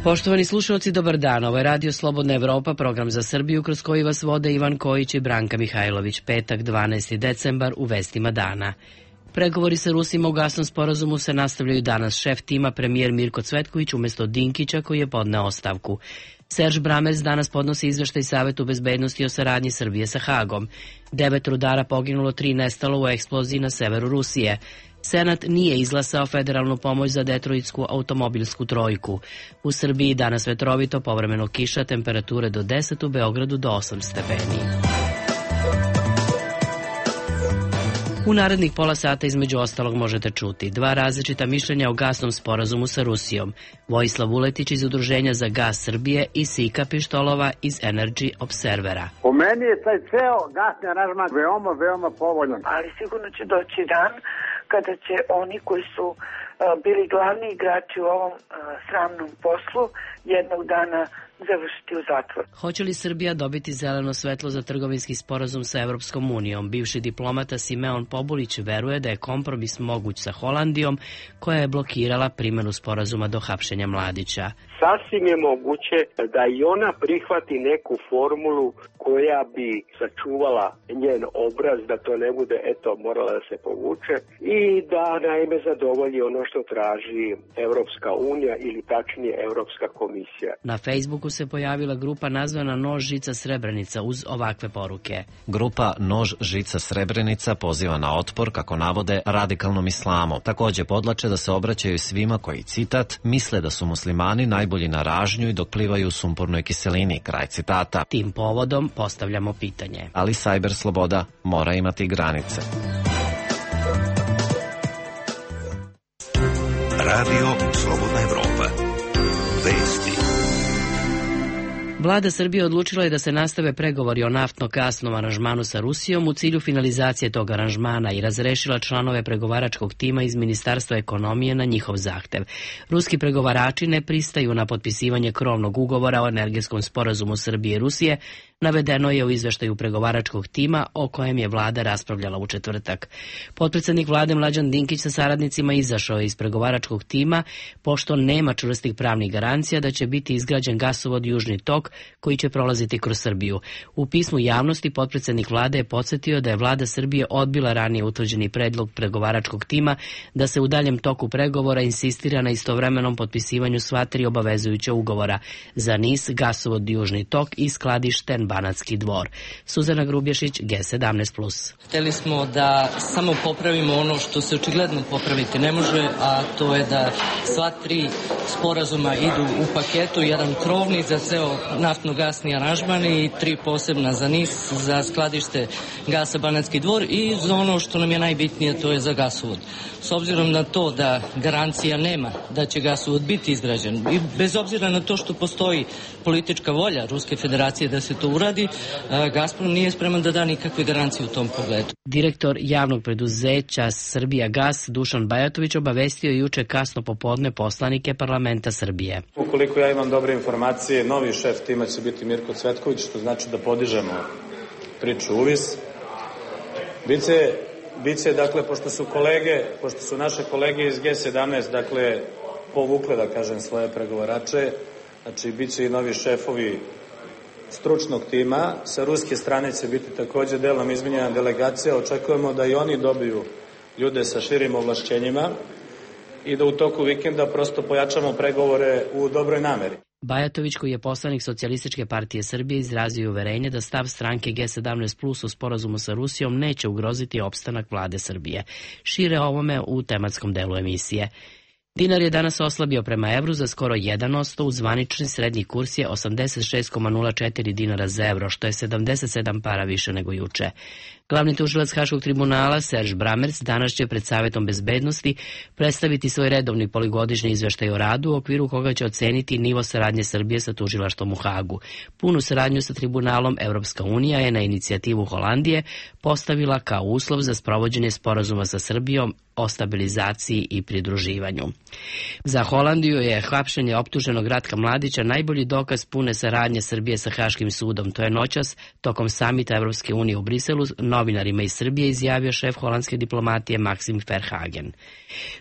Poštovani slušalci, dobar dan. Ovo je Radio Slobodna Evropa, program za Srbiju kroz koji vas vode Ivan Kojić i Branka Mihajlović. Petak, 12. decembar, u vestima dana. Pregovori sa Rusima u gasnom sporazumu se nastavljaju danas. Šef tima, premijer Mirko Cvetković, umjesto Dinkića koji je podneo ostavku. Serž Bramers danas podnosi izveštaj Savetu bezbednosti o saradnji Srbije sa Hagom. 9 rudara poginulo, 3 nestalo u eksploziji na severu Rusije. Senat nije izglasao federalnu pomoć za detroitsku automobilsku trojku. U Srbiji danas vetrovito, povremeno kiša, temperature do 10, u Beogradu do 8 stepeni. U narednih pola sata između ostalog možete čuti 2 različita mišljenja o gasnom sporazumu sa Rusijom. Vojislav Vuletić iz Udruženja za gas Srbije i Sika Pištolova iz Energy Observera. Po meni je taj ceo gasni aranžman veoma povoljan. Ali sigurno će doći dan kada će oni koji su bili glavni igrači u ovom sramnom poslu jednog dana završiti u zatvor. Hoće li Srbija dobiti zeleno svetlo za trgovinski sporazum sa Evropskom unijom? Bivši diplomata Simeon Pobulić veruje da je kompromis moguć sa Holandijom, koja je blokirala primjenu sporazuma do hapšenja Mladića. Sasvim je moguće da i ona prihvati neku formulu koja bi sačuvala njen obraz, da to ne bude, morala da se povuče i da naime zadovolji ono što traži Evropska unija ili tačnije Evropska komisija. Na Facebooku se pojavila grupa nazvana Nož žica Srebrenica uz ovakve poruke. Grupa Nož žica Srebrenica poziva na otpor, kako navode, radikalnom islamu. Također podlače da se obraćaju svima koji, citat, misle da su muslimani najbolji na ražnju i dok plivaju u sumpornoj kiselini, kraj citata. Tim povodom postavljamo pitanje. Ali sajber sloboda mora imati granice. Radio Slobodna Evropa. Vesti. Vlada Srbije odlučila je da se nastave pregovori o naftno-gasnom aranžmanu sa Rusijom u cilju finalizacije tog aranžmana i razrešila članove pregovaračkog tima iz Ministarstva ekonomije na njihov zahtev. Ruski pregovarači ne pristaju na potpisivanje krovnog ugovora o energetskom sporazumu Srbije i Rusije, navedeno je u izveštaju pregovaračkog tima o kojem je vlada raspravljala u četvrtak. Potpredsednik vlade Mlađan Dinkić sa saradnicima izašao je iz pregovaračkog tima, pošto nema čvrstih pravnih garancija da će biti izgrađen gasovod Južni tok koji će prolaziti kroz Srbiju. U pismu javnosti potpredsednik vlade je podsjetio da je vlada Srbije odbila ranije utvrđeni predlog pregovaračkog tima da se u daljem toku pregovora insistira na istovremenom potpisivanju sva 3 obavezujuća ugovora za NIS, gasovod Južni tok i skladište Banatski dvor. Suzana Grubješić, G17+. Hteli smo da samo popravimo ono što se očigledno popraviti ne može, a to je da sva 3 sporazuma idu u paketu, jedan krovni za ceo naftno-gasni aranžman i 3 posebna za NIS, za skladište gasa Banatski dvor i za ono što nam je najbitnije, to je za gasovod. S obzirom na to da garancija nema da će gasovod biti izgrađen i bez obzira na to što postoji politička volja Ruske federacije da se to uradi, Gazprom nije spreman da da nikakve garancije u tom pogledu. Direktor javnog preduzeća Srbija gas Dušan Bajatović obavestio juče kasno popodne poslanike parlamenta Srbije. Ukoliko ja imam dobre informacije, novi šef tima će biti Mirko Cvetković, što znači da podižemo priču uvis. Biće, dakle, pošto su naše kolege iz G17, dakle, povukle, da kažem, svoje pregovarače, znači, bit će i novi šefovi stručnog tima. Sa ruske strane će biti također delom izmenjena delegacija. Očekujemo da i oni dobiju ljude sa širim ovlašćenjima i da u toku vikenda prosto pojačamo pregovore u dobroj nameri. Bajatović, koji je poslanik Socijalističke partije Srbije, izrazio uverenje da stav stranke G17+ u sporazumu sa Rusijom neće ugroziti opstanak vlade Srbije. Šire o ovome u tematskom delu emisije. Dinar je danas oslabio prema evru za skoro 1%, uz zvanični srednji kurs je 86,04 dinara za evro, što je 77 para više nego juče. Glavni tužilac Haškog tribunala Serž Bramers danas će pred Savetom bezbednosti predstaviti svoj redovni poligodišnji izveštaj o radu, u okviru koga će oceniti nivo saradnje Srbije sa tužilaštvom u Hagu. Punu saradnju sa tribunalom Evropska unija je na inicijativu Holandije postavila kao uslov za sprovođenje sporazuma sa Srbijom o stabilizaciji i pridruživanju. Za Holandiju je hapšenje optuženog Ratka Mladića najbolji dokaz pune saradnje Srbije sa Haškim sudom. To je noćas tokom samita Evropske unije u Briselu novinarima iz Srbije izjavio šef holandske diplomatije Maxim Verhagen.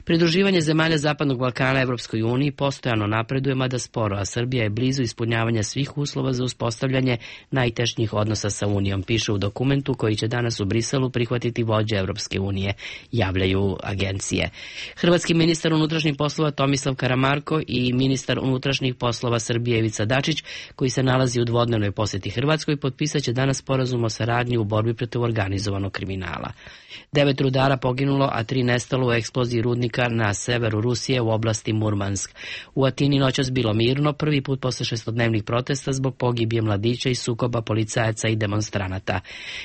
Pridruživanje zemalja Zapadnog Balkana Evropskoj uniji postojano napreduje, mada sporo, a Srbija je blizu ispunjavanja svih uslova za uspostavljanje najtešnjih odnosa sa Unijom, piše u dokumentu koji će danas u Briselu prihvatiti vođe Evropske unije, javljaju agencije. Hrvatski ministar unutrašnjih poslova Tomislav Karamarko i ministar unutrašnjih poslova Srbije Ivica Dačić, koji se nalazi u dvodnevnoj posjeti Hrvatskoj, potpisat će danas sporazum o saradnji u borbi protiv organizovanog kriminala. 9 rudara poginulo, a 3 nestalo u eksploziji rudnika na severu Rusije u oblasti Murmansk. U Atini noćas bilo mirno, prvi put posle 6-dnevnih protesta zbog pogibije mladića i sukoba policajaca i demonstranata.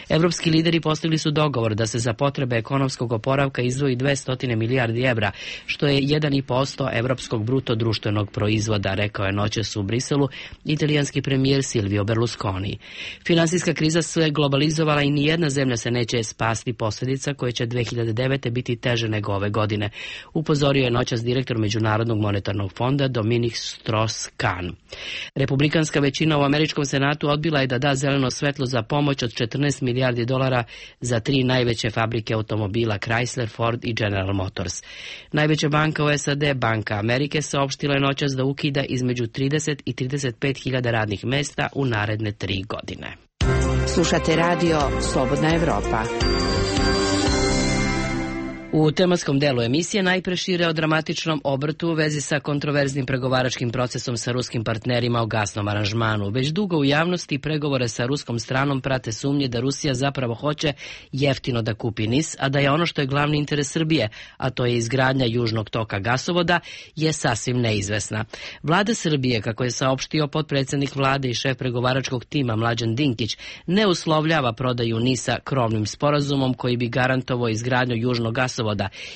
Evropski lideri postigli su dogovor da se za potrebe ekonomskog oporavka izdvoji 200 milijardi evra, što je 1,5% evropskog bruto društvenog proizvoda, rekao je noćas u Briselu italijanski premijer Silvio Berlusconi. Finansijska kriza se globalizovala i nijedna zemlja se neće spasti posljedica koje će 2009. biti teže nego ove godine, upozorio je noćas direktor Međunarodnog monetarnog fonda Dominic Strauss-Kahn. Republikanska većina u američkom senatu odbila je da da zeleno svetlo za pomoć od 14 milijardi dolara za 3 najveće fabrike automobila Chrysler, Ford i General Motors. Najveća banka u SAD, Banka Amerike, saopštila je noćas da ukida između 30 i 35 hiljada radnih mesta u naredne 3 godine. Slušate radio Slobodna Evropa. U tematskom delu emisije najpre šire o dramatičnom obrtu u vezi sa kontroverznim pregovaračkim procesom sa ruskim partnerima o gasnom aranžmanu. Već dugo u javnosti pregovore sa ruskom stranom prate sumnje da Rusija zapravo hoće jeftino da kupi NIS, a da je ono što je glavni interes Srbije, a to je izgradnja južnog toka gasovoda, je sasvim neizvesna. Vlada Srbije, kako je saopštio potpredsjednik vlade i šef pregovaračkog tima Mlađan Dinkić, ne uslovljava prodaju NIS-a krovnim sporazumom koji bi garantovao izgradnju južnog gasovoda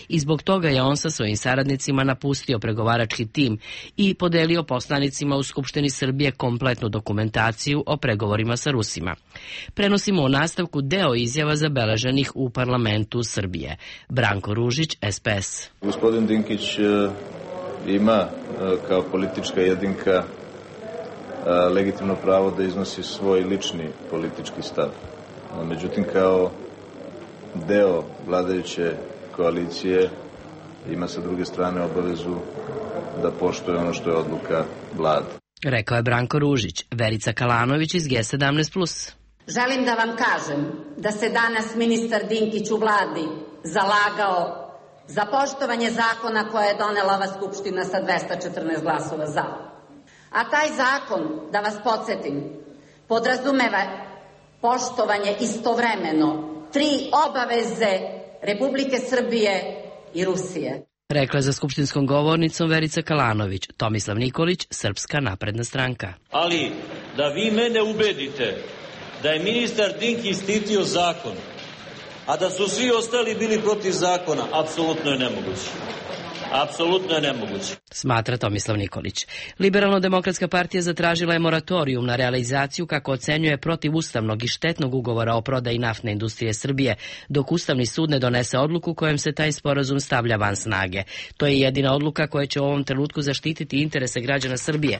i zbog toga je on sa svojim saradnicima napustio pregovarački tim i podelio poslanicima u Skupštini Srbije kompletnu dokumentaciju o pregovorima sa Rusima. Prenosimo u nastavku deo izjava zabeleženih u parlamentu Srbije. Branko Ružić, SPS. Gospodin Dinkić ima kao politička jedinka legitimno pravo da iznosi svoj lični politički stav. Međutim, kao deo vladajuće koalicije ima sa druge strane obavezu da poštuje ono što je odluka vlade. Rekao je Branko Ružić. Verica Kalanović iz G17+. Želim da vam kažem da se danas ministar Dinkić u vladi zalagao za poštovanje zakona koje je donela ova Skupština sa 214 glasova za. A taj zakon, da vas podsjetim, podrazumeva poštovanje istovremeno 3 obaveze Republike Srbije i Rusije. Rekla je za skupštinskom govornicom Verica Kalanović. Tomislav Nikolić, Srpska napredna stranka. Ali da vi mene ubedite da je ministar Dinkić štitio zakon, a da su svi ostali bili protiv zakona, apsolutno je nemoguće. Apsolutno je nemoguće. Smatra Tomislav Nikolić. Liberalno-demokratska partija zatražila je moratorijum na realizaciju, kako ocenjuje, protivustavnog i štetnog ugovora o prodaji naftne industrije Srbije, dok Ustavni sud ne donese odluku kojom se taj sporazum stavlja van snage. To je jedina odluka koja će u ovom trenutku zaštititi interese građana Srbije.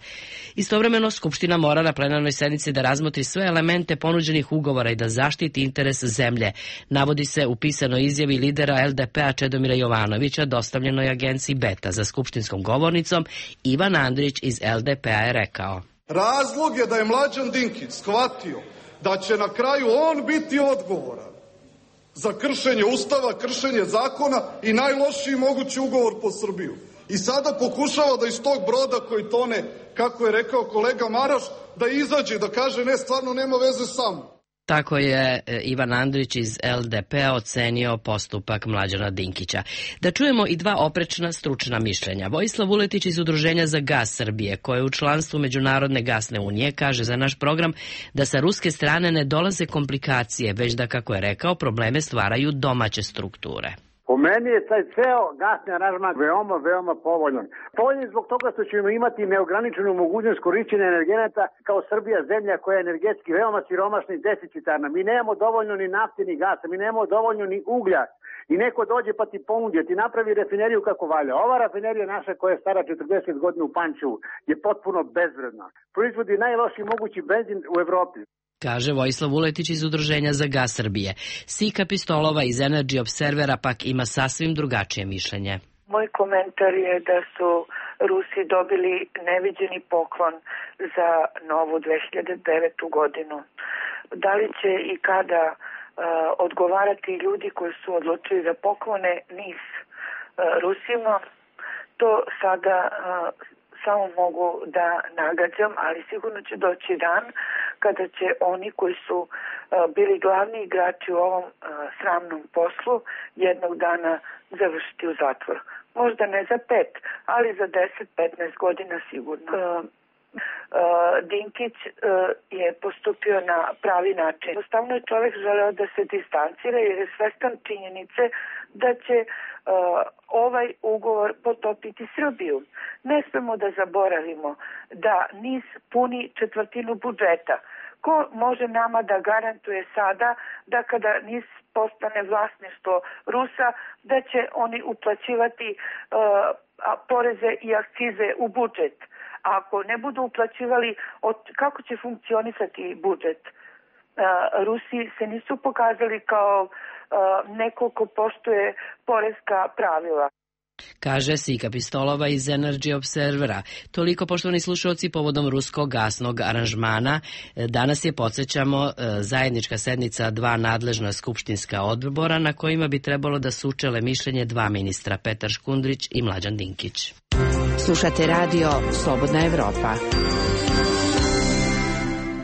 Istovremeno, Skupština mora na plenarnoj sednici da razmotri sve elemente ponuđenih ugovora i da zaštiti interes zemlje. Navodi se u pisanoj izjavi lidera LDP-a Čedomira Jovanovića, dostavljenoj agenciji Beta. Za skupštinskom govornicom Ivan Andrić iz LDP-a je rekao: razlog je da je Mlađan Dinkić shvatio da će na kraju on biti odgovoran za kršenje Ustava, kršenje zakona i najlošiji mogući ugovor po Srbiju. I sada pokušava da iz tog broda koji tone, kako je rekao kolega Maraš, da izađe, da kaže ne, stvarno nema veze sa mnom. Tako je Ivan Andrić iz LDP-a ocenio postupak Mlađana Dinkića. Da čujemo i 2 oprečna stručna mišljenja. Vojislav Uletić iz Udruženja za gas Srbije, koje je u članstvu Međunarodne gasne unije, kaže za naš program da sa ruske strane ne dolaze komplikacije, već da, kako je rekao, probleme stvaraju domaće strukture. Po meni je taj ceo gasni aranžman veoma povoljan. Povoljan zbog toga što ćemo imati neograničenu mogućnost korišćenja energenata kao Srbija, zemlja koja je energetski veoma siromašna i deficitarna. Mi nemamo dovoljno ni nafte ni gasa, mi nemamo dovoljno ni uglja. I neko dođe pa ti ponudi, ti napravi rafineriju kako valja. Ova rafinerija naša koja je stara 40 godina u Pančevu je potpuno bezvredna. Proizvodi najlošiji mogući benzin u Evropi. Kaže Vojislav Vuletić iz Udruženja za gas Srbije. Sika Pistolova iz Energy Observera pak ima sasvim drugačije mišljenje. Moj komentar je da su Rusi dobili neviđeni poklon za novu 2009. godinu. Da li će i kada odgovarati ljudi koji su odlučili da poklone NIS Rusima, to sada samo mogu da nagađam, ali sigurno će doći dan kada će oni koji su bili glavni igrači u ovom sramnom poslu jednog dana završiti u zatvor. Možda ne za 5, ali za 10-15 godina sigurno. Dinkić je postupio na pravi način. Jednostavno je čovjek želeo da se distancira jer je svestan činjenice da će ovaj ugovor potopiti Srbiju. Ne smemo da zaboravimo da NIS puni 1/4 budžeta. Ko može nama da garantuje sada da kada NIS postane vlasništvo Rusa, da će oni uplaćivati poreze i akcize u budžet? A ako ne budu uplaćivali, kako će funkcionisati budžet? Rusi se nisu pokazali kao neko ko poštuje poreska pravila. Kaže Sika Pistolova iz Energy Observera. Toliko, poštovani slušalci, povodom ruskog gasnog aranžmana. Danas je, podsjećamo, zajednička sednica 2 nadležna skupštinska odbora na kojima bi trebalo da sučele mišljenje 2 ministra, Petar Škundrić i Mlađan Dinkić. Slušate radio Slobodna Evropa.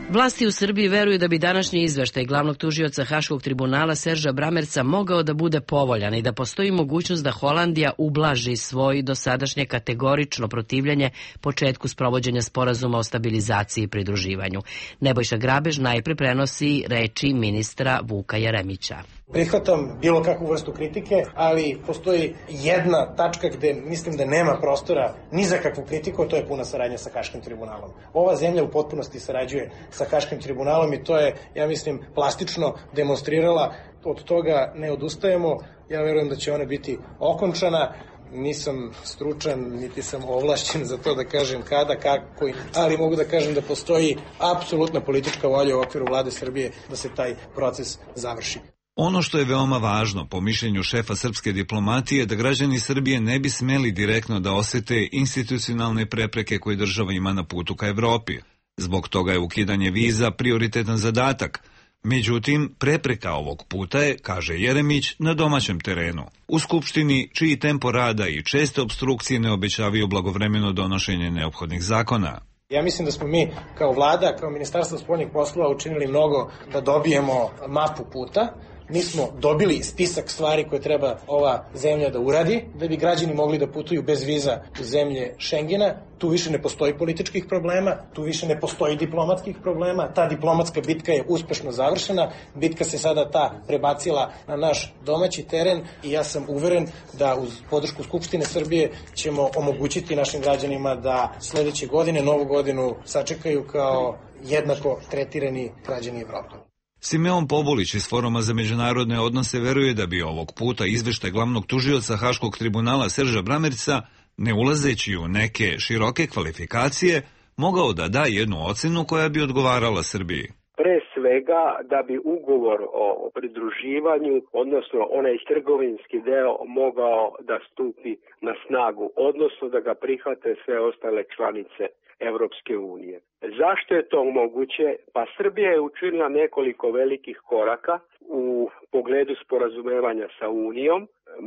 Vlasti u Srbiji veruju da bi današnji izveštaj glavnog tužioca Haškog tribunala Serža Bramerca mogao da bude povoljan i da postoji mogućnost da Holandija ublaži svoj dosadašnje kategorično protivljenje početku sprovođenja sporazuma o stabilizaciji i pridruživanju. Nebojša Grabež najpre prenosi reči ministra Vuka Jeremića. Prihvatam bilo kakvu vrstu kritike, ali postoji jedna tačka gde mislim da nema prostora ni za kakvu kritiku, a to je puna saradnja sa Haškim tribunalom. Ova zemlja u potpunosti sarađuje sa Haškim tribunalom i to je, ja mislim, plastično demonstrirala. Od toga ne odustajemo. Ja verujem da će ona biti okončana. Nisam stručan, niti sam ovlašćen za to da kažem kada, kako, ali mogu da kažem da postoji apsolutna politička volja u okviru vlade Srbije da se taj proces završi. Ono što je veoma važno, po mišljenju šefa srpske diplomatije, da građani Srbije ne bi smeli direktno da osete institucionalne prepreke koje država ima na putu ka Evropi. Zbog toga je ukidanje viza prioritetan zadatak. Međutim, prepreka ovog puta je, kaže Jeremić, na domaćem terenu. U Skupštini, čiji tempo rada i česte opstrukcije ne obećavaju blagovremeno donošenje neophodnih zakona. Ja mislim da smo mi kao vlada, kao Ministarstvo spoljnih poslova učinili mnogo da dobijemo mapu puta. Mi smo dobili spisak stvari koje treba ova zemlja da uradi, da bi građani mogli da putuju bez viza u zemlje Šengena. Tu više ne postoji političkih problema, tu više ne postoji diplomatskih problema. Ta diplomatska bitka je uspešno završena. Bitka se sada prebacila na naš domaći teren i ja sam uveren da uz podršku Skupštine Srbije ćemo omogućiti našim građanima da sledeće godine, novu godinu, sačekaju kao jednako tretirani građani Evrope. Simeon Pobulić iz Foruma za međunarodne odnose veruje da bi ovog puta izveštaj glavnog tužioca Haškog tribunala Serža Bramerca, ne ulazeći u neke široke kvalifikacije, mogao da da jednu ocenu koja bi odgovarala Srbiji. Pre svega da bi ugovor o pridruživanju, odnosno onaj trgovinski deo, mogao da stupi na snagu, odnosno da ga prihvate sve ostale članice Evropske unije. Zašto je to moguće? Pa Srbija je učinila nekoliko velikih koraka u pogledu sporazumevanja sa Unijom.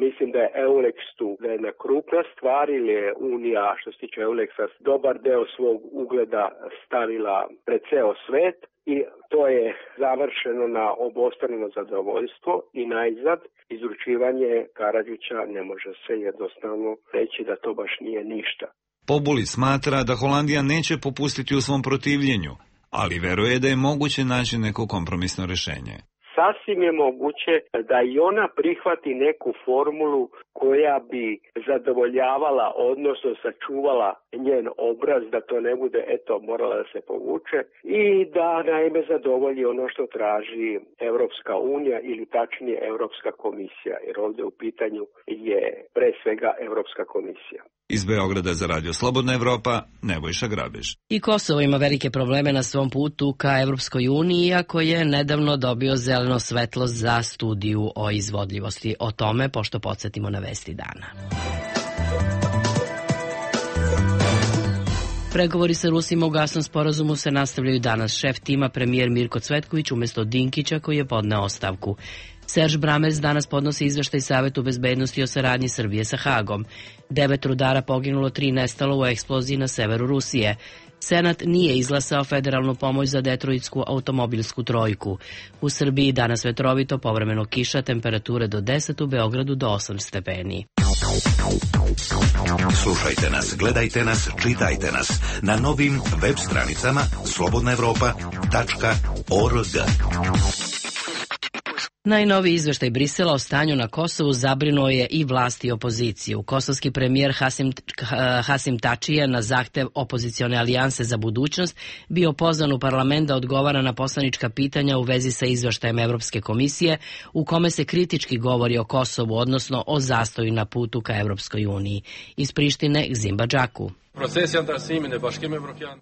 Mislim da je EULEX tu, da je jedna krupna stvar ili je Unija, što se tiče EULEX-a, dobar deo svog ugleda stavila pred ceo svet i to je završeno na obostrano zadovoljstvo i najzad izručivanje Karađića ne može se jednostavno reći da to baš nije ništa. Pobuli smatra da Holandija neće popustiti u svom protivljenju, ali veruje da je moguće naći neko kompromisno rešenje. sasvim je moguće da i ona prihvati neku formulu koja bi zadovoljavala, odnosno sačuvala njen obraz, da to ne bude, eto, morala da se povuče i da naime zadovolji ono što traži Evropska unija ili tačnije Evropska komisija, jer ovdje u pitanju je pre svega Evropska komisija. Iz Beograda za Radio Slobodna Evropa, Nebojša Grabež. I Kosovo ima velike probleme na svom putu ka Evropskoj uniji, iako je nedavno dobio zeleno svetlo za studiju o izvodljivosti. O tome, pošto podsjetimo na vesti dana. Pregovori sa Rusima u gasnom sporazumu se nastavljaju danas. Šef tima, premijer Mirko Cvetković, umjesto Dinkića koji je podneo ostavku. Serž Bramers danas podnosi izveštaj Savetu bezbednosti o saradnji Srbije sa Hagom. 9 rudara poginulo, 3 nestalo u eksploziji na severu Rusije. Senat nije izglasao federalnu pomoć za detroitsku automobilsku trojku. U Srbiji danas vetrovito, povremeno kiša, temperature do 10, u Beogradu do 8 stepeni. Slušajte nas, gledajte nas, čitajte nas na novim web stranicama slobodnaevropa.org. Najnoviji izveštaj Brisela o stanju na Kosovu zabrinuo je i vlast i opoziciju. Kosovski premijer Hasim Tači je na zahtev opozicione alijanse za budućnost bio pozvan u parlament da odgovara na poslanička pitanja u vezi sa izveštajem Evropske komisije u kome se kritički govori o Kosovu, odnosno o zastoju na putu ka Evropskoj uniji. Iz Prištine, Gzimba Džaku.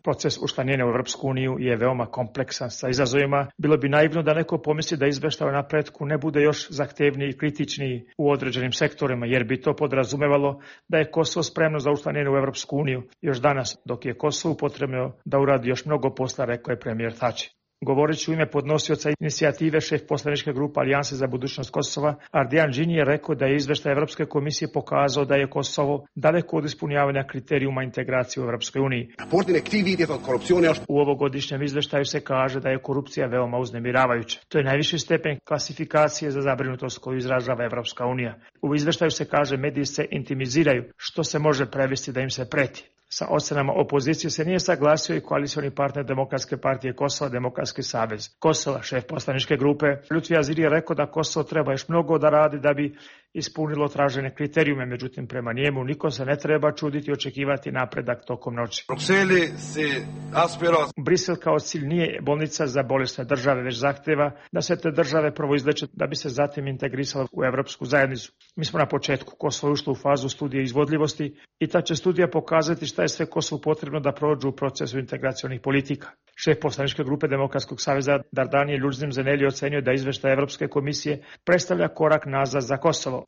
Proces učlanjenja u Evropsku uniju je veoma kompleksan sa izazovima. Bilo bi naivno da neko pomisli da izveštaj o napretku ne bude još zahtevniji i kritičniji u određenim sektorima, jer bi to podrazumevalo da je Kosovo spremno za učlanjenje u Evropsku uniju još danas, dok je Kosovu potrebno da uradi još mnogo posla, rekao je premijer Tači. Govoreći u ime podnosioca inicijative, šef poslaničke grupe Alijanse za budućnost Kosova, Ardijan Džini je rekao da je izveštaj Evropske komisije pokazao da je Kosovo daleko od ispunjavanja kriterijuma integracije u Evropskoj uniji. U ovogodišnjem izveštaju se kaže da je korupcija veoma uznemiravajuća. To je najviši stepen klasifikacije za zabrinutost koju izražava Evropska unija. U izveštaju se kaže mediji se intimiziraju, što se može prevesti da im se preti. Sa ocenama opozicije se nije saglasio i koalicioni partner Demokratske partije Kosova, Demokratski savez Kosova. Šef poslaničke grupe Lutfi Aziri je rekao da Kosovo treba još mnogo da radi da bi ispunilo tražene kriterijume, međutim prema njemu niko se ne treba čuditi i očekivati napredak tokom noći. Brisel kao cilj nije bolnica za bolesne države, već zahteva da se te države prvo izleče da bi se zatim integrisale u Evropsku zajednicu. Mi smo na početku, Kosovo ušlo u fazu studije izvodljivosti i ta će studija pokazati šta je sve Kosovu potrebno da prođu u procesu integracionih politika. Šef poslaničke grupe Demokratskog saveza Dardanije Ljudzim Zeneli ocenio da izveštaj Evropske komisije predstavlja korak nazad za Kosovo.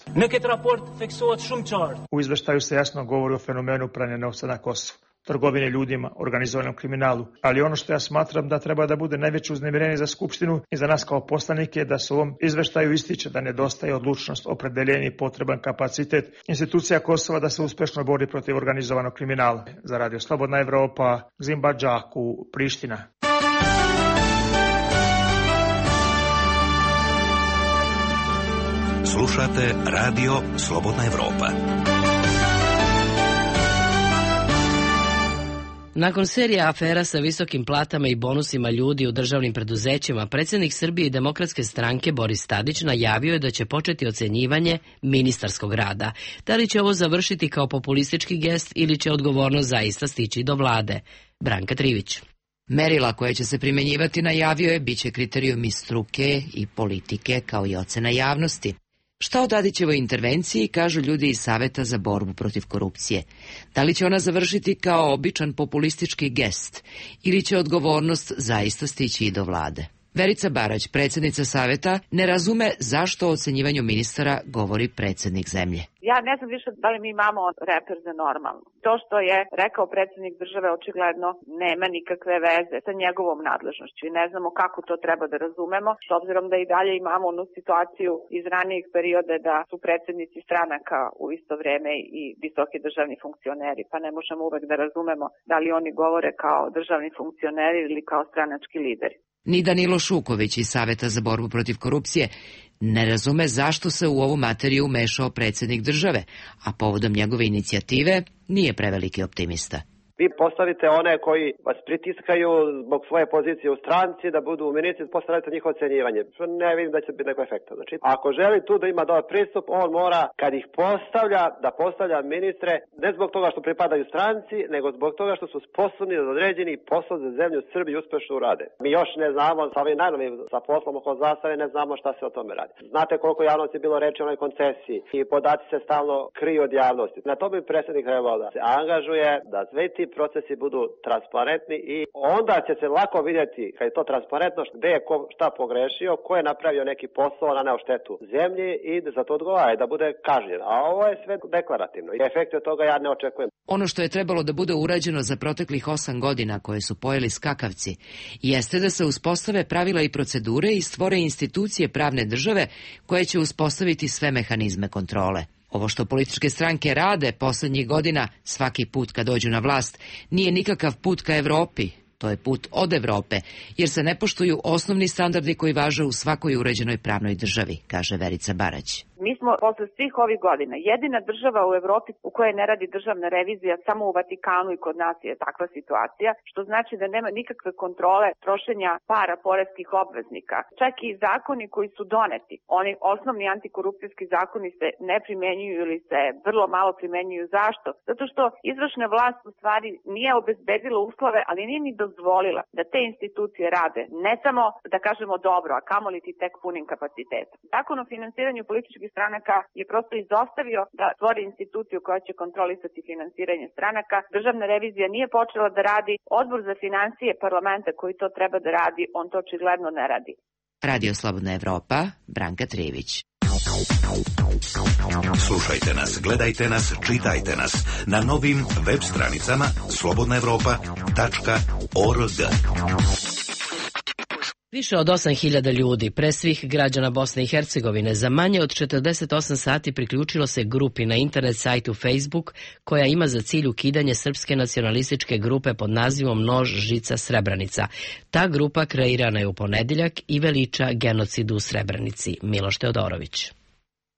U izveštaju se jasno govori o fenomenu pranja novca na Kosovu, trgovine ljudima, organizovanom kriminalu, ali ono što ja smatram da treba da bude najveće uznemirenje za Skupštinu i za nas kao poslanike je da se u ovom izveštaju ističe da nedostaje odlučnost, opredeljenje i potreban kapacitet institucija Kosova da se uspešno bori protiv organizovanog kriminala. Za Radio Slobodna Evropa, Gzimba Džaku, Priština. Slušate Radio Slobodna Evropa. Nakon serije afera sa visokim platama i bonusima ljudi u državnim preduzećima, predsjednik Srbije i Demokratske stranke Boris Tadić najavio je da će početi ocenjivanje ministarskog rada. Da li će ovo završiti kao populistički gest ili će odgovornost zaista stići do vlade? Branka Trivić. Merila koje će se primenjivati, najavio je, biće kriterijumi struke i politike kao i ocena javnosti. Šta o Tadićevoj intervenciji kažu ljudi iz Saveta za borbu protiv korupcije? Da li će ona završiti kao običan populistički gest ili će odgovornost zaista stići i do vlade? Verica Barać, predsjednica Saveta, ne razume zašto o ocenjivanju ministara govori predsjednik zemlje. Ja ne znam više da li mi imamo reper za normalno. To što je rekao predsjednik države očigledno nema nikakve veze sa njegovom nadležnošću i ne znamo kako to treba da razumemo, s obzirom da i dalje imamo onu situaciju iz ranijih perioda da su predsjednici stranaka u isto vrijeme i visoki državni funkcioneri, pa ne možemo uvek da razumemo da li oni govore kao državni funkcioneri ili kao stranački lideri. Ni Danilo Šuković iz Saveta za borbu protiv korupcije ne razume zašto se u ovu materiju umešao predsjednik države, a povodom njegove inicijative nije preveliki optimista. Vi postavite one koji vas pritiskaju zbog svoje pozicije u stranci da budu ministri, postavite njihovo ocenjivanje. Ne vidim da će biti neko efekta. Znači, ako želi tu da ima dobar pristup, on mora, kad ih postavlja, da postavlja ministre ne zbog toga što pripadaju stranci, nego zbog toga što su sposobni da određeni posao za zemlju Srbiju uspešno urade. Mi još ne znamo, sa ovim najnovim sa poslom oko zastave, ne znamo šta se o tome radi. Znate koliko javnosti je bilo reči o onoj koncesiji i podaci se stalno kriju od javnosti. Na to bi predsjednik trebao da se angažuje, da sve ti procesi budu transparentni i onda će se lako vidjeti, kad je to transparentno, gde je ko šta pogrešio, ko je napravio neki posao na neoštetu zemlji i da za to odgovara i da bude kažnjen. A ovo je sve deklarativno i efekte od toga ja ne očekujem. Ono što je trebalo da bude urađeno za proteklih 8 godina koje su pojeli skakavci, jeste da se uspostave pravila i procedure i stvore institucije pravne države koje će uspostaviti sve mehanizme kontrole. Ovo što političke stranke rade poslednjih godina, svaki put kad dođu na vlast, nije nikakav put ka Evropi, to je put od Evrope, jer se ne poštuju osnovni standardi koji važe u svakoj uređenoj pravnoj državi, kaže Verica Barać. Mi smo posle svih ovih godina jedina država u Evropi u kojoj ne radi državna revizija, samo u Vatikanu i kod nas je takva situacija, što znači da nema nikakve kontrole trošenja para poreskih obveznika. Čak i zakoni koji su doneti, oni osnovni antikorupcijski zakoni se ne primenjuju ili se vrlo malo primenjuju. Zašto? Zato što izvršna vlast u stvari nije obezbedila uslove, ali nije ni dozvolila da te institucije rade ne samo, da kažemo, dobro, a kamoli ti tek punim kapacitetom. Zakon o finansiranju političkih stranaka je prosto izostavio da stvori instituciju koja će kontrolisati finansiranje stranaka. Državna revizija nije počela da radi. Odbor za financije parlamenta koji to treba da radi, on to očigledno ne radi. Radio Slobodna Evropa, Branka Trijević. Slušajte nas, gledajte nas, čitajte nas na novim web stranicama slobodnaevropa.org. Više od 8.000 ljudi, pre svih građana Bosne i Hercegovine, za manje od 48 sati priključilo se grupi na internet sajtu Facebook koja ima za cilj ukidanje srpske nacionalističke grupe pod nazivom Nož, žica, Srebrenica. Ta grupa kreirana je u ponedeljak i veliča genocid u Srebrenici. Miloš Teodorović.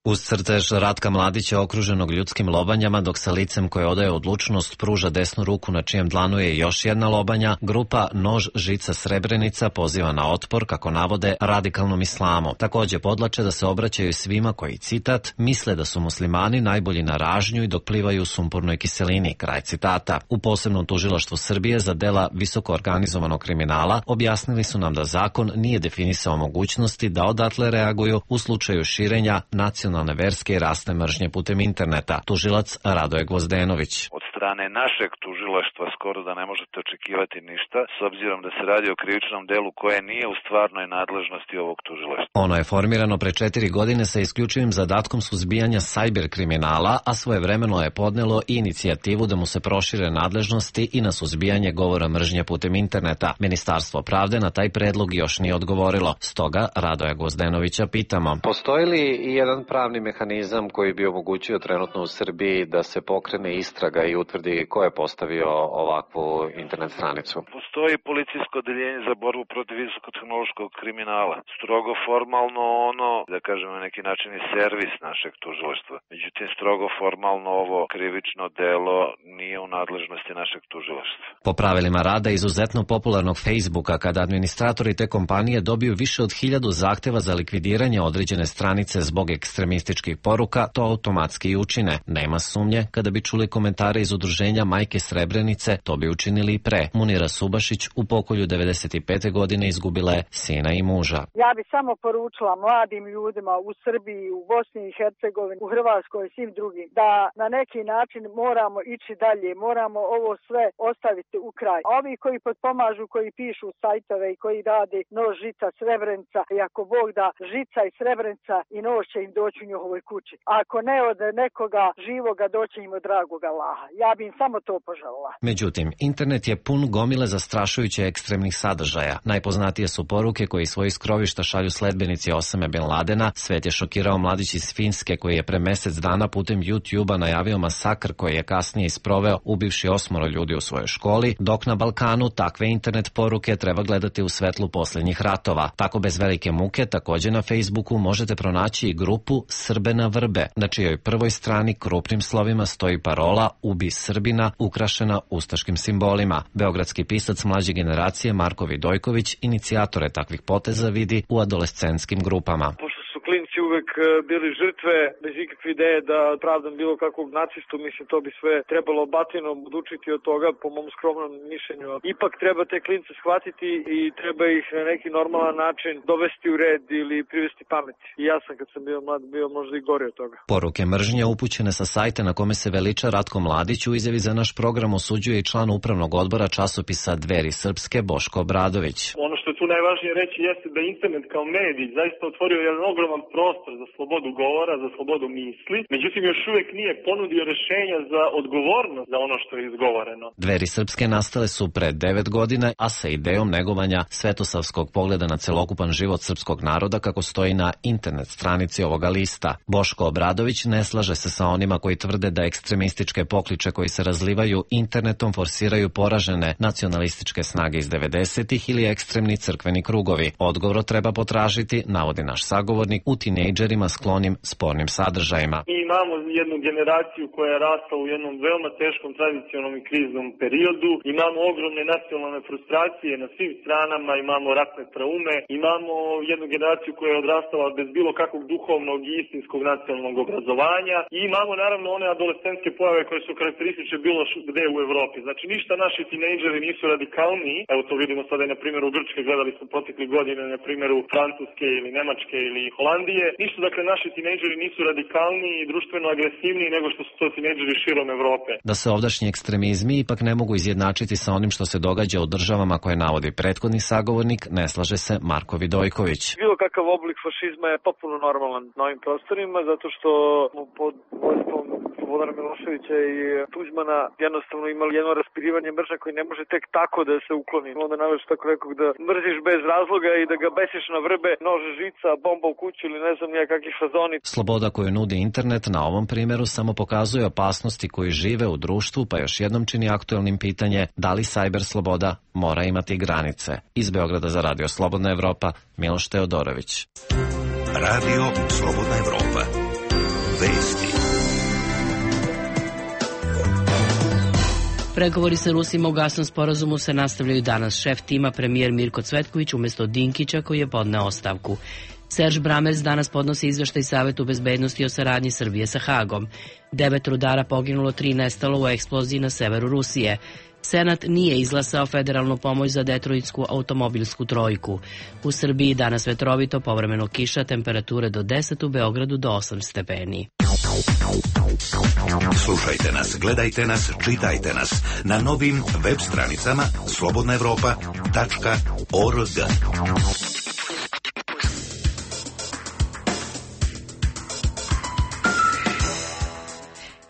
Uz crtež Ratka Mladića okruženog ljudskim lobanjama, dok sa licem koje odaje odlučnost pruža desnu ruku na čijem dlanu je još jedna lobanja, grupa Nož, žica, Srebrenica poziva na otpor, kako navode, radikalnom islamu. Takođe podlače da se obraćaju svima koji, citat, misle da su muslimani najbolji na ražnju i dok plivaju u sumpornoj kiselini, kraj citata. U posebnom tužilaštvu Srbije za dela visoko organizovanog kriminala objasnili su nam da zakon nije definisao mogućnosti da odatle reaguju u slučaju širenja nacionalne verske i rasne mržnje putem interneta. Tužilac Radoje Gvozdenović. Od strane našeg tužilaštva skoro da ne možete očekivati ništa, s obzirom da se radi o krivičnom delu koje nije u stvarnoj nadležnosti ovog tužilaštva. Ono je formirano pre 4 godine sa isključivim zadatkom suzbijanja sajber kriminala, a svojevremeno je podnelo i inicijativu da mu se prošire nadležnosti i na suzbijanje govora mržnje putem interneta. Ministarstvo pravde na taj predlog još nije odgovorilo. Stoga Radoja Gvozdenovića pitamo. Postoji li i jedan pravni mehanizam koji bi omogućio trenutno u Srbiji da se pokrene istraga i utvrdi ko je postavio ovakvu internet stranicu? Postoji policijsko odeljenje za borbu protiv visokotehnološkog kriminala. Strogo formalno ono, da kažem na neki način, je servis našeg tužilaštva. Međutim, strogo formalno ovo krivično delo nije u nadležnosti našeg tužilaštva. Po pravilima rada izuzetno popularnog Facebooka, kada administratori te kompanije dobiju više od 1000 zahteva za likvidiranje određene stranice zbog ekstremističkih poruka, to automatski i učine. Nema sumnje, kada bi čuli komentare iz udruženja Majke Srebrenice, to bi učinili i pre. Munira Subašić u pokolju 95. godine izgubila je sina i muža. Ja bi samo poručila mladim ljudima u Srbiji, u Bosni i Hercegovini, u Hrvatskoj i svim drugim, da na neki način moramo ići dalje, moramo ovo sve ostaviti u kraj. A ovi koji potpomažu, koji pišu sajtove i koji rade Nož, žica, Srebrenica, i ako Bog da, žica i Srebrenica i nož će im doći u njihovoj kući. Ako ne od nekoga živoga, doći im od dragoga Allaha. Ja bi im samo to poželila. Međutim, internet je pun gomile zastrašujuće ekstremnih sadržaja. Najpoznatije su poruke koje iz svojih skrovišta šalju sledbenici Osame Bin Ladena. Svet je šokirao mladić iz Finske koji je pre mesec dana putem YouTube-a najavio masakr koji je kasnije isproveo ubivši 8 ljudi u svojoj školi, dok na Balkanu takve internet poruke treba gledati u svetlu posljednjih ratova. Tako bez velike muke takođe na Facebooku možete pronaći i grupu Srbe na vrbe, na čijoj prvoj strani krupnim slovima stoji parola "Ubi Srbina", ukrašena ustaškim simbolima. Beogradski pisac mlađe generacije Marko Vidojković inicijatore takvih poteza vidi u adolescentskim grupama. Klinci uvek bili žrtve bez ikakve ideje da pravdam bilo kakvog nacistu, mislim to bi sve trebalo batinom odučiti od toga po mom skromnom mišljenju. Ipak treba te klince shvatiti i treba ih na neki normalan način dovesti u red ili privesti pameti. I ja sam kad sam bio mlad bio možda i gori od toga. Poruke mržnje upućene sa sajta na kome se veliča Ratko Mladić u izjavi za naš program osuđuje i član upravnog odbora časopisa Dveri Srpske Boško Obradović. Ono što je tu najvažnije reći jeste da internet kao medij zaista otvorio jedan ogroman prostor za slobodu govora, za slobodu misli, međutim još uvijek nije ponudio rješenja za odgovornost za ono što je izgovoreno. Dveri Srpske nastale su pre 9 godina, a sa idejom negovanja svetosavskog pogleda na celokupan život srpskog naroda kako stoji na internet stranici ovoga lista. Boško Obradović ne slaže se sa onima koji tvrde da ekstremističke pokliče koji se razlivaju internetom forsiraju poražene nacionalističke snage iz 90-ih ili ekstremni crkveni krugovi. Odgovor treba potražiti, navodi naš sagovornik, u tinejdžerima sklonim spornim sadržajima. Mi imamo jednu generaciju koja je rasla u jednom veoma teškom tradicionalnom i kriznom periodu, imamo ogromne nacionalne frustracije na svim stranama, imamo ratne traume, imamo jednu generaciju koja je odrastala bez bilo kakvog duhovnog i istinskog nacionalnog obrazovanja i imamo naravno one adolescentske pojave koje su karakteristične bilo gde u Evropi. Znači ništa naši tinejdžeri nisu radikalniji, evo to vidimo sada i na primjeru Grčke, gledali smo protekli godine na primjeru Francuske ili Nemačke ili Holandije. Ništa, dakle, naši tinejdžeri nisu radikalniji i društveno agresivniji nego što su to tinejdžeri širom Evrope. Da se ovdašnji ekstremizmi ipak ne mogu izjednačiti sa onim što se događa u državama koje navodi prethodni sagovornik, ne slaže se Marko Vidojković. Bilo kakav oblik fašizma je potpuno normalan na ovim prostorima, zato što pod vojstvom Slobodana Miloševića i Tuđmana jednostavno imali jedno raspirivanje mržnje koji ne može tek tako da se ukloni. Onda naveš tako rekao da mrziš bez razloga i da ga besiš na vrbe, nože, žica, bomba u kuću ili ne znam nijakakvi fazoni. Sloboda koju nudi internet na ovom primjeru samo pokazuje opasnosti koji žive u društvu, pa još jednom čini aktuelnim pitanje da li cyber sloboda mora imati granice. Iz Beograda za Radio Slobodna Evropa, Miloš Teodorović. Radio Slobodna Evropa. Vesti. Pregovori sa Rusima u gasnom sporazumu se nastavljaju danas. Šef tima, premijer Mirko Cvetković, umjesto Dinkića koji je podneo ostavku. Serž Bramers danas podnosi izveštaj Savetu bezbednosti o saradnji Srbije sa Hagom. 9 rudara poginulo, 3 nestalo u eksploziji na severu Rusije. Senat nije izglasao federalnu pomoć za detroitsku automobilsku trojku. U Srbiji danas vetrovito, povremeno kiša, temperature do 10, u Beogradu do 8 stepeni. Slušajte nas, gledajte nas, čitajte nas na novim web stranicama slobodnaevropa.org.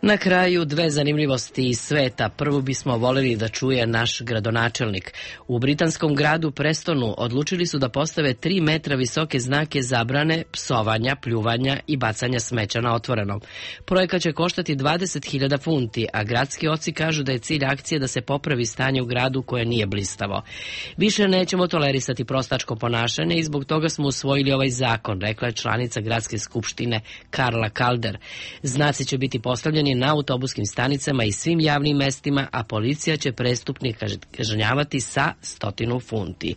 Na kraju dve zanimljivosti iz sveta. Prvu bismo voljeli da čuje naš gradonačelnik. U britanskom gradu Prestonu odlučili su da postave 3 metra visoke znake zabrane psovanja, pljuvanja i bacanja smeća na otvorenom. Projekat će koštati 20.000 funti, a gradski oci kažu da je cilj akcije da se popravi stanje u gradu koje nije blistavo. Više nećemo tolerisati prostačko ponašanje i zbog toga smo usvojili ovaj zakon, rekla je članica gradske skupštine Karla Calder. Znaci će biti postavljeni na autobuskim stanicama i svim javnim mestima, a policija će prestupnike kažnjavati sa 100 funti.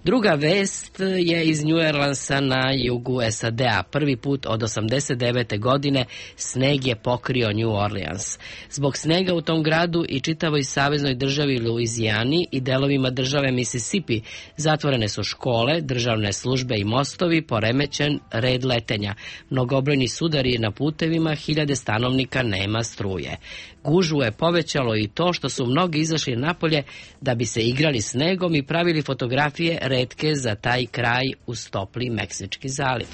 Druga vest je iz New Orleansa na jugu SAD-a. Prvi put od 89. godine sneg je pokrio New Orleans. Zbog snega u tom gradu i čitavoj saveznoj državi Luizijani i delovima države Mississippi zatvorene su škole, državne službe i mostovi, poremećen red letenja. Mnogobrojni sudari na putevima, hiljade stanovnika nema struje. Gužvu je povećalo i to što su mnogi izašli napolje da bi se igrali snegom i pravili fotografije retke za taj kraj uz topli Meksički zaliv.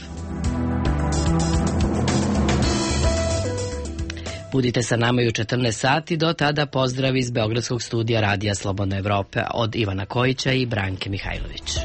Budite sa nama i u 14 sati, do tada pozdrav iz Beogradskog studija Radija Slobodna Evropa od Ivana Kojića i Branke Mihajlović.